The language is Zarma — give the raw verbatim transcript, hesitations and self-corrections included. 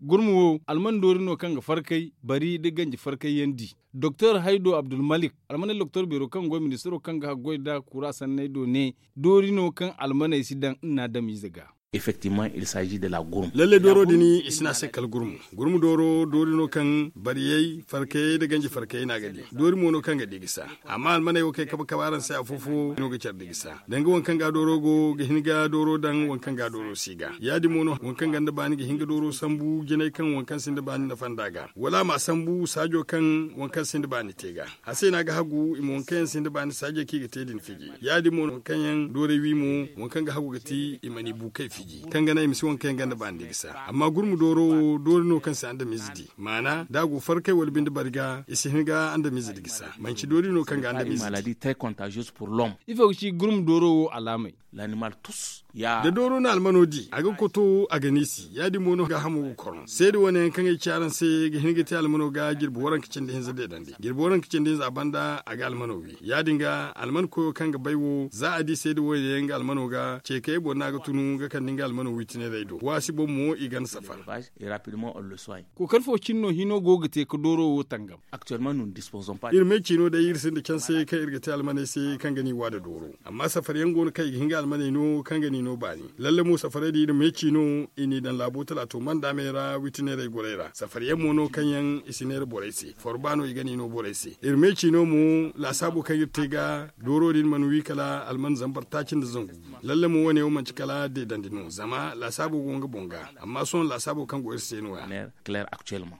Gurmu wo alman doori no kaŋ ga farkay bari nda ganji farkay yaŋ di. Doktor haydo abdulmalik almaney doktor beero kaŋ go ministiro kaŋ ga haggoy nda kura sanney do ne, doori no kaŋ almaney si daŋ nna adamiize ga. Effectivement il s'agit de la gurmu. Lallay dooro din i si ne a se kala gurmu. Gurmu dooro doori no kaŋ bariyey farkayey nda ganji farkayey no a ga di. Doori mo no kaŋ ga di ga sa. Amma almaney wo kaŋ ay kabe kabe araŋ se afo fo no ga care da ga sa danga waŋ kaŋ ga dooro go ga hin ga dooro daŋ waŋ kaŋ ga dooro si ga ya- din mo no waŋ kaŋ ganda baani ga hin ga dooro sambu jinay kaŋ waŋ kaŋ sinda baani nafa nd'a ga wala a ma sambu saajo kaŋ waŋ kaŋ sinda baani te ga. A se no a ga hagu i ma waŋ kaŋ yaŋ sinda baani saajey kaŋ i ga te din fiji. Ya- din mo waŋ kaŋ yaŋ doorey wi mo waŋ kaŋ ga hagu ga ti i ma ni bukey fiji kaŋ ga naŋ i ma si waŋ kaŋ yaŋ ganda baani da ga sa. Amma gurmu dooro wo doori no kaŋ si andamiize di maana da a go farkay wala binde bari ga i si hin ga andamiize da ga sa manci doori no kaŋ ga andamiize di. Ifo ga ci gurmu dooro wo alaamey. Da dooro na almano di a ga koto a ga niisi ya- din mo no gaahamo ga korno seeda wane yaŋ kaŋ ay ci araŋ se ga hin ga te almano ga jirbi waranka cindi hinza deedandi jirbi waranka cindi hinza a banda a ga almano wi ya- din ga alman koyo kaŋ ga bay wo za a di seeda wane yaŋ ga almano ga ceekayey boŋ no a ga tunu ga kande nga almano wi tineerey do waasi boŋ mo i ganda safar. Kookari fo cine no hino go ga te ga dooro wo tangam. Iri me ciino day iri sinda canse kaŋ iri ga te almaney se kaŋ ga ni wa nda dooro. Amma safar yaŋ go no kaŋ i ga hin ga almaney no kaŋ ga ni no baani. Lalle mo safarey din iri me ciino i n'i daŋ laabo talaato mandaamey ra witineerey gorey ra safar yaŋ mo no kaŋ yaŋ i si neera borey se forba no i ga ni no borey se iri me ciino mo laasaabo kaŋ iri te ga dooro din mana wi kala alman zambar taaci nda zangu. Lalle mo wane wo manti kala deedandi no zama laasaabo go nga boŋ ga. Amma sohõ laasaabo kaŋ go iri se no- ya.